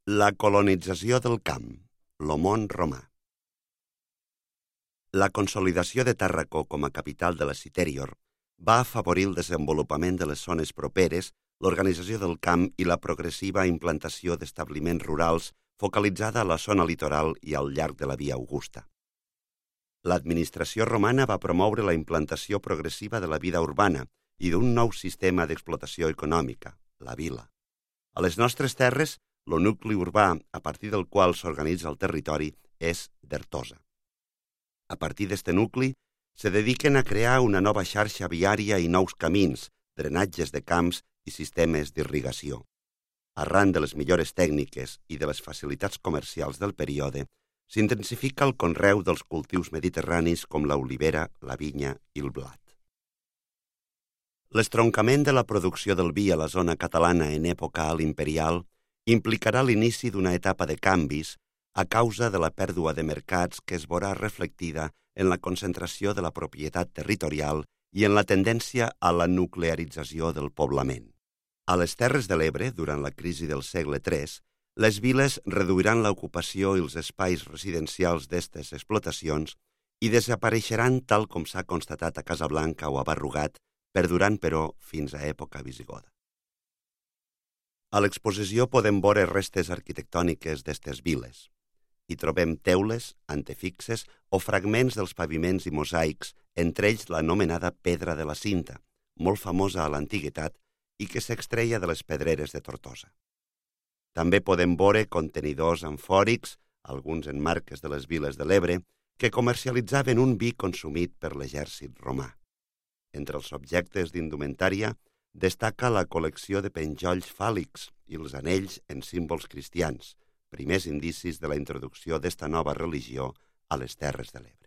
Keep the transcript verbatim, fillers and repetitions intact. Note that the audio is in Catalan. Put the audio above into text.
La colonització del camp, lo món romà. La consolidació de Tàrraco com a capital de la Citerior va afavorir el desenvolupament de les zones properes, l'organització del camp i la progressiva implantació d'establiments rurals focalitzada a la zona litoral i al llarg de la Via Augusta. L'administració romana va promoure la implantació progressiva de la vida urbana i d'un nou sistema d'explotació econòmica, la vila. A les nostres terres, el nucli urbà a partir del qual s'organitza el territori és d'Ertosa. A partir d'este nucli, se dediquen a crear una nova xarxa viària i nous camins, drenatges de camps i sistemes d'irrigació. Arran de les millores tècniques i de les facilitats comercials del període, s'intensifica el conreu dels cultius mediterranis com l'olivera, la vinya i el blat. L'estroncament de la producció del vi a la zona catalana en època alt imperial implicarà l'inici d'una etapa de canvis a causa de la pèrdua de mercats que es veurà reflectida en la concentració de la propietat territorial i en la tendència a la nuclearització del poblament. A les Terres de l'Ebre, durant la crisi del segle tres, les viles reduiran l'ocupació i els espais residencials d'estes explotacions i desapareixeran tal com s'ha constatat a Casablanca o a Barrugat, perdurant, però, fins a època visigoda. A l'exposició podem veure restes arquitectòniques d'estes viles. Hi trobem teules, antefixes o fragments dels paviments i mosaics, entre ells l'anomenada Pedra de la Cinta, molt famosa a l'antiguitat i que s'extreia de les pedreres de Tortosa. També podem veure contenidors amfòrics, alguns en marques de les viles de l'Ebre, que comercialitzaven un vi consumit per l'exèrcit romà. Entre els objectes d'indumentària destaca la col·lecció de penjolls fàl·lics i els anells en símbols cristians, primers indicis de la introducció d'esta nova religió a les Terres de l'Ebre.